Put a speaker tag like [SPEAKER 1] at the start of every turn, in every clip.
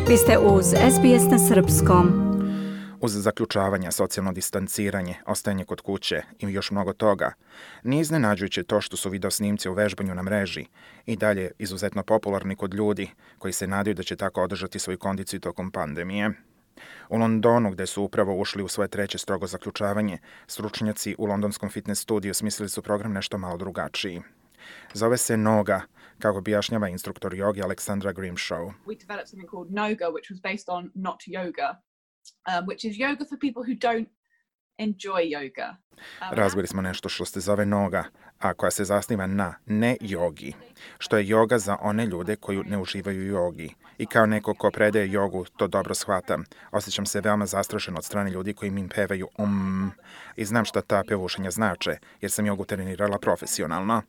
[SPEAKER 1] Vi ste uz SBS na srpskom.
[SPEAKER 2] Uz zaključavanje, socijalno distanciranje, ostajanje kod kuće i još mnogo toga, nije iznenađujuće to što su video snimci u vežbanju na mreži i dalje izuzetno popularni kod ljudi koji se nadaju da će tako održati svoju kondiciju tokom pandemije. U Londonu, gde su upravo ušli u svoje treće strogo zaključavanje, stručnjaci u londonskom fitness studiju smislili su program nešto malo drugačiji. Zove se Noga, kako objašnjava instruktor jogi Alexandra Grimshaw.
[SPEAKER 3] We developed something called Noga, which was based on not yoga, which is yoga for people who don't enjoy yoga.
[SPEAKER 2] Razvili smo nešto što se zove Noga, a koja se zasniva na ne jogi, što je joga za one ljude koji ne uživaju u jogi. I kao neko ko predaje jogu, to dobro shvatam. Osjećam se veoma zastrašen od strane ljudi koji mi pevaju i znam šta ta pevušenja znače, jer sam jogu trenirala profesionalno.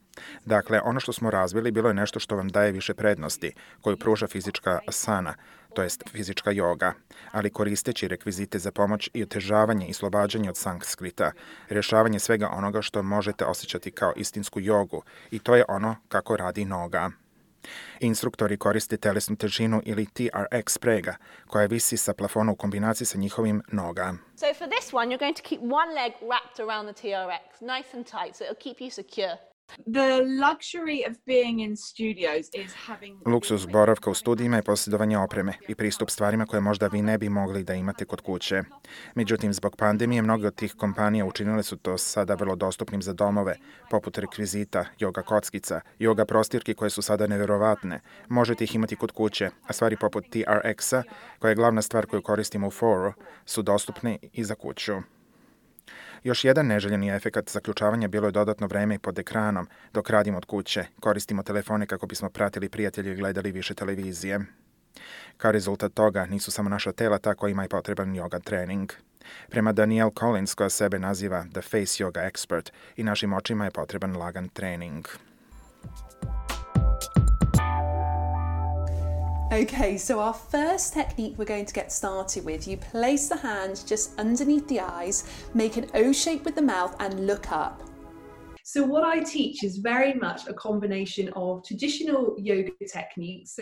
[SPEAKER 2] Dakle, ono što smo razvili bilo je nešto što vam daje više prednosti, koju pruža fizička asana, to jest fizička joga, ali koristeći rekvizite za pomoć i otežavanje i oslobađanje od sanskrita, rješavanje svega onoga što možete osjećati kao istinsku jogu, i to je ono kako radi Noga. Instruktori koriste telesnu težinu ili TRX sprega, koja visi sa plafona u kombinaciji sa njihovim Noga.
[SPEAKER 4] So for this one, you're going to keep one leg wrapped around the TRX, nice and tight, so it'll keep you secure.
[SPEAKER 3] The luxury of being in studios is having...
[SPEAKER 2] Luksuz boravka u studijima je posjedovanje opreme i pristup stvarima koje možda vi ne bi mogli da imate kod kuće. Međutim, zbog pandemije, mnoge od tih kompanija učinile su to sada vrlo dostupnim za domove, poput rekvizita, joga kockica, joga prostirki koje su sada neverovatne. Možete ih imati kod kuće, a stvari poput TRX-a, koja je glavna stvar koju koristimo u foru, su dostupne i za kuću. Još jedan neželjeni efekat zaključavanja bilo je dodatno vreme pod ekranom dok radimo od kuće. Koristimo telefone kako bismo pratili prijatelje i gledali više televizije. Kao rezultat toga nisu samo naša tela ta koja ima i potreban yoga trening. Prema Danielle Collins, koja sebe naziva The Face Yoga Expert, i našim očima je potreban lagan trening.
[SPEAKER 5] Okay, so our first technique we're going to get started with, you place the hands just underneath the eyes, make an O shape with the mouth and look up.
[SPEAKER 6] So what I teach is very much a combination of traditional yoga techniques.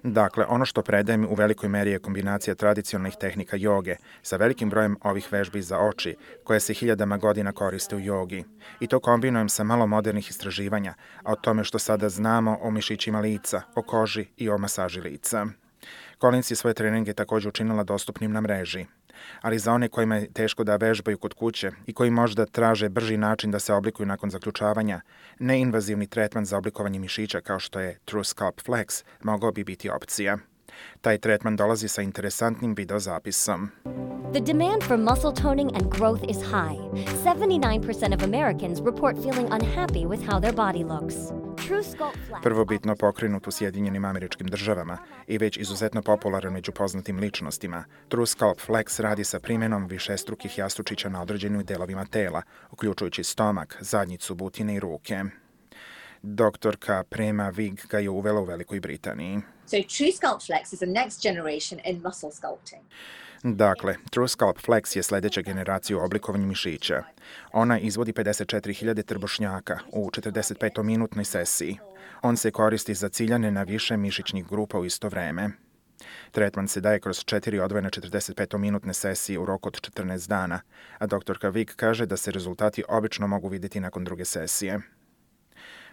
[SPEAKER 2] Dakle, ono što predajem u velikoj meri je kombinacija tradicionalnih tehnika joge sa velikim brojem ovih vežbi za oči, koje se hiljadama godina koriste u jogi. I to kombinujem sa malo modernih istraživanja, a o tome što sada znamo o mišićima lica, o koži i o masaži lica. Collins je svoje treninge također učinila dostupnim na mreži. Ali za one kojima je teško da vežbaju kod kuće i koji možda traže brži način da se oblikuju nakon zaključavanja, neinvazivni tretman za oblikovanje mišića kao što je TrueSculpt Flex mogao bi biti opcija. Taj tretman dolazi sa interesantnim videozapisom.
[SPEAKER 7] The demand for muscle toning and growth is high. 79% of Americans report feeling unhappy with how their body looks.
[SPEAKER 2] Prvobitno pokrenut u Sjedinjenim Američkim Državama i već izuzetno popularan među poznatim ličnostima, TrueSculpt Flex radi sa primjenom višestrukih jastučića na određenim delovima tela, uključujući stomak, zadnjicu, butine i ruke. Doktorka Prema Vig ga je uvela u Velikoj Britaniji.
[SPEAKER 8] So TrueSculpt Flex is the next generation in muscle sculpting.
[SPEAKER 2] Dakle, TrueSculpt Flex je sljedeća generacija u oblikovanju mišića. Ona izvodi 54.000 trbušnjaka u 45-minutnoj sesiji. On se koristi za ciljane na više mišićnih grupa u isto vreme. Tretman se daje kroz 4 odvojene 45-minutne sesije u roku od 14 dana, a doktorka Vig kaže da se rezultati obično mogu vidjeti nakon druge sesije.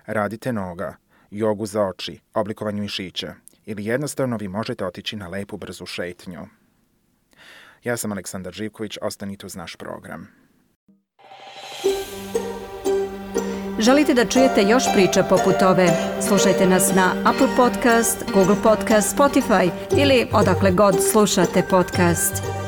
[SPEAKER 2] Radite Noga, jogu za oči, oblikovanje mišića ili jednostavno vi možete otići na lepu brzu šetnju. Ja sam Aleksandar Živković, ostanite uz naš program.
[SPEAKER 1] Želite da čujete još priča poput ove? Slušajte nas na Apple Podcast, Google Podcast, Spotify ili odakle god slušate podcast.